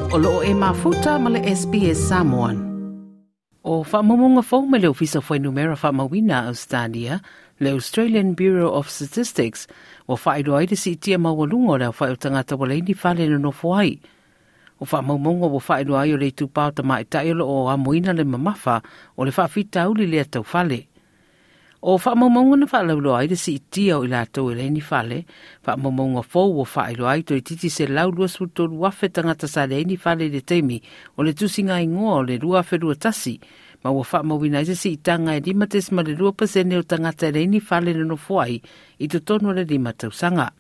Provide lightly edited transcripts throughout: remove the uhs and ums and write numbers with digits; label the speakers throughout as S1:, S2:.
S1: O loo e mafuta ma le SBS Samoan. O faamaumauga fou mai le Ofisa o Fuainumera Faamauina a Ausetalia, le Australian Bureau of Statistics, ua faailoa ai le siitia maualuga o le aofai o tagata ua leai ni fale e nonofo ai. O faamaumauga ua faailoa ai o le itupa o tamaitai o lo o amoina le mamafa o le faafitauli lea tau fale. O faamaumauga na faalauiloa ai le siitia o i latou e leai ni fale, faamaumauga fou ua faailoa ai toeitiiti 123,000 tagata sa leai ni fale i le taimi o le tusiga igoa o le 2021, ma ua faamauina ai se siitaga e 5.2 pasene o tagata e leai ni fale nonofo ai i totonu o le 5 tausaga.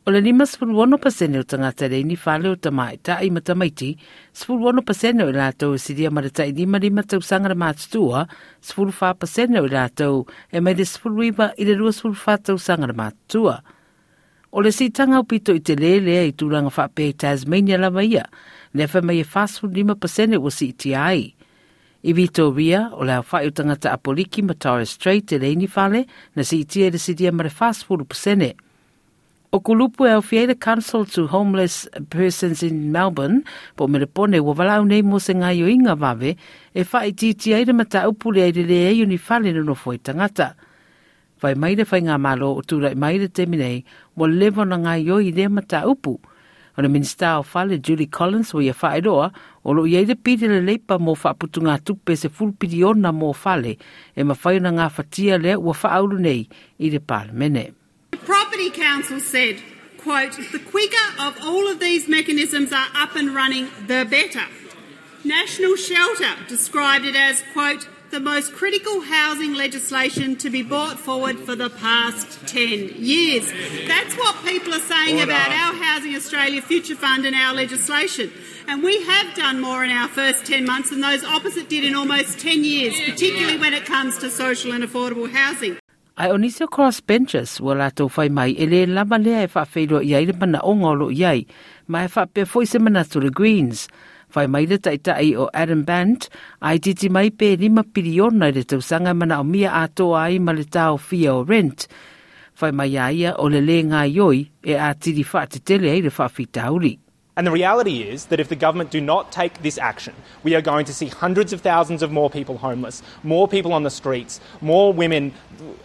S1: O le 56% o tagata e leai ni fale o tamaitai ma tamaiti, 16% o i latou e silia ma le tai 55 tausaga le matutua, 14% o i latou e mai le 19 i le 24 tausaga le matutua. O le siitaga aupito i telē lea i tulaga faapea i Tasmania lava ia, lea fai mai e 45% ua siitia ai. I Vitoria, o le aofai o tagata Apoliki ma Torres Strait e leai ni fale, na siitia i le silia ma le 40%. O kulupu e aofia ai le Council to Homeless Persons in Melbourne po o Melepone ua valaau nei mo se gaoioiga vave e faaitiitia ai le mataupu lea i le leai o ni fale nonofo ai tagata. Fai mai le faigamalo o tulai mai i le taimi nei ua leva ona gaoioi i lea mataupu. O le Minisita o Fale Julie Collins ua ia faailoa o lo o i ai le pili a le Leipa mo faaputugatupe 10 piliona mo fale e mafai ona gafatia lea ua faaulu nei i le Palemene.
S2: The Property Council said, quote, the quicker of all of these mechanisms are up and running, the better. National Shelter described it as, quote, the most critical housing legislation to be brought forward for the past 10 years. That's what people are saying Order. about our Housing Australia Future Fund and our legislation. And we have done more in our first 10 months than those opposite did in almost 10 years, particularly when it comes to social and affordable housing.
S1: Ae o nisi o crossbenchers ua latou fai mai e le lava lea e faafeiloai ai le manaoga o lo o i ai, ma e faapea foi se manatu o le Greens. Fai mai le taitai o Adam Bandt, a itiiti mai pe 5 piliona i le tausaga e manaomia atoa ai ma le taofia o rent. Fai mai a ia o le lē gaoioi e atili faatetele ai le faafitauli.
S3: And the reality is that if the government do not take this action, we are going to see hundreds of thousands of more people homeless, more people on the streets, more women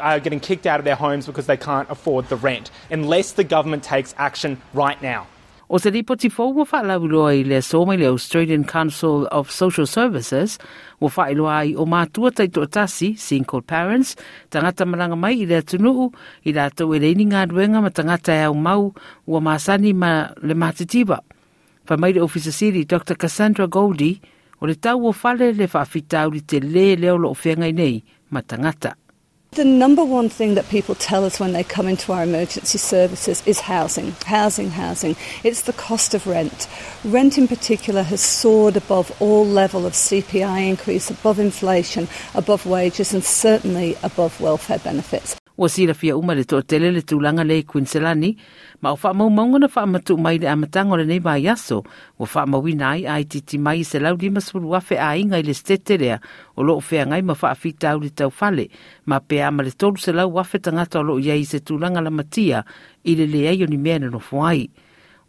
S3: are getting kicked out of their homes because they can't afford the rent, unless the government takes action right now.
S1: O se lipoti fou ua faalauiloa i le aso mai le Australian Council of Social Services, ua faailoa ai o matua taitoatasi, single parents, tagata malaga mai i le atunuu, i latou e leai ni galuega ma tagata e aumau ua masani ma le matitiva. Fai mai le Ofisa Sili Dr Cassandra Goldie, o le tau o fale le faafitauli telē lea o lo o feagai nei ma tagata.
S4: The number one thing that people tell us when they come into our emergency services is housing, housing, housing. It's the cost of rent. Rent in particular has soared above all level of CPI increase, above inflation, above wages and certainly above welfare benefits.
S1: Ua silafia uma e le toatele le tulaga lea i Kuiniselani, ma o faamaumauga na faamatuu mai i le amataga o lenei vaiaso, ua faamauina ai a itiiti mai e 150,000 aiga i le setete lea o lo o feagai ma faafitauli tau fale, ma pe a ma le 300,000 tagata o lo o i ai i se tulaga lamatia i le leai o ni mea e nonofo ai.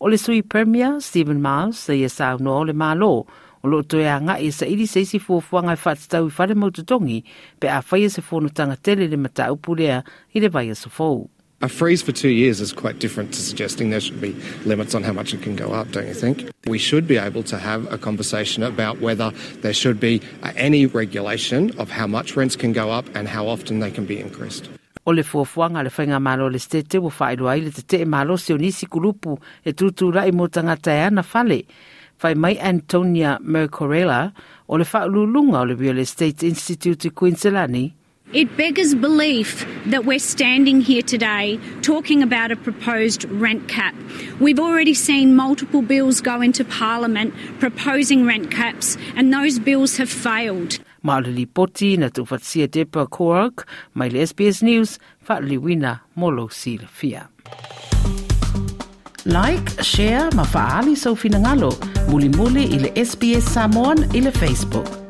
S1: O le Sui Premier, Steven Miles, sa ia saunoa o le Malo o lo o toe agai e saili se isi fuafuaga e faatatau i fale mau totogi pe a faia se fonotaga tele i le mataupu lea i le vaiaso fou.
S5: A freeze for two years is quite different to suggesting there should be limits on how much it can go up, don't you think? We should be able to have a conversation about whether there should be any regulation of how much rents can go up and how often they can be increased.
S1: O le fuafuaga a le Faigamalo a le Setete ua faailoa ai le tetee malosi o nisi kulupu e tutulai mo tagata e ana fale. Fai mai Antonia Mercorella o le Faauluuluga o le Real Estate Institute i Kuiniselani,
S2: It beggars belief that we're standing here today talking about a proposed rent cap. We've already seen multiple bills go into Parliament proposing rent caps, and those bills have failed.
S1: Ma o le lipoti na tuufaatasia e Deborah Korog mai le SBS News, faaliliuina mo lou silafia. Like, share ma faaali sou finagalo mulimuli i le SBS Samoan i le Facebook.